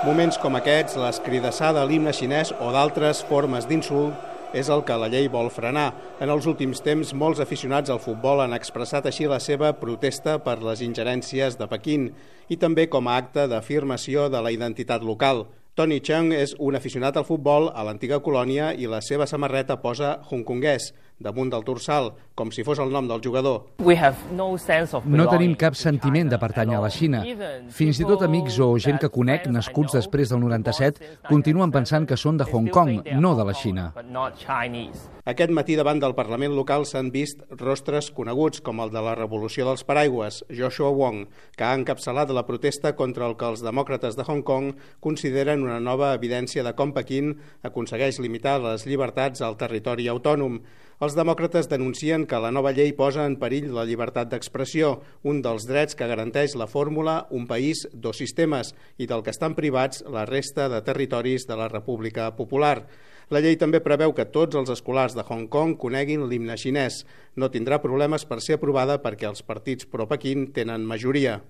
Moments com aquests, l'escridassada a l'himne xinès o d'altres formes d'insult és el que la llei vol frenar. En els últims temps, molts aficionats al futbol han expressat així la seva protesta per les ingerències de Pequín i també com a acte d'afirmació de la identitat local. Tony Chung és un aficionat al futbol a l'antiga colònia i la seva samarreta posa hongkonguès damunt del dorsal, com si fos el nom del jugador. No tenim cap sentiment de pertànyer a la Xina. Fins i tot amics o gent que conec, nascuts després del 97, continuen pensant que són de Hong Kong, no de la Xina. Aquest matí davant del Parlament local s'han vist rostres coneguts com el de la Revolució dels Paraigües, Joshua Wong, que ha encapçalat la protesta contra el que els demòcrates de Hong Kong consideren una nova evidència de com Pequín aconsegueix limitar les llibertats al territori autònom. Els demòcrates denuncien que la nova llei posa en perill la llibertat d'expressió, un dels drets que garanteix la fórmula Un país, dos sistemes, i del que estan privats la resta de territoris de la República Popular. La llei també preveu que tots els escolars de Hong Kong coneguin l'himne xinès. No tindrà problemes per ser aprovada perquè els partits pro-Pequín tenen majoria.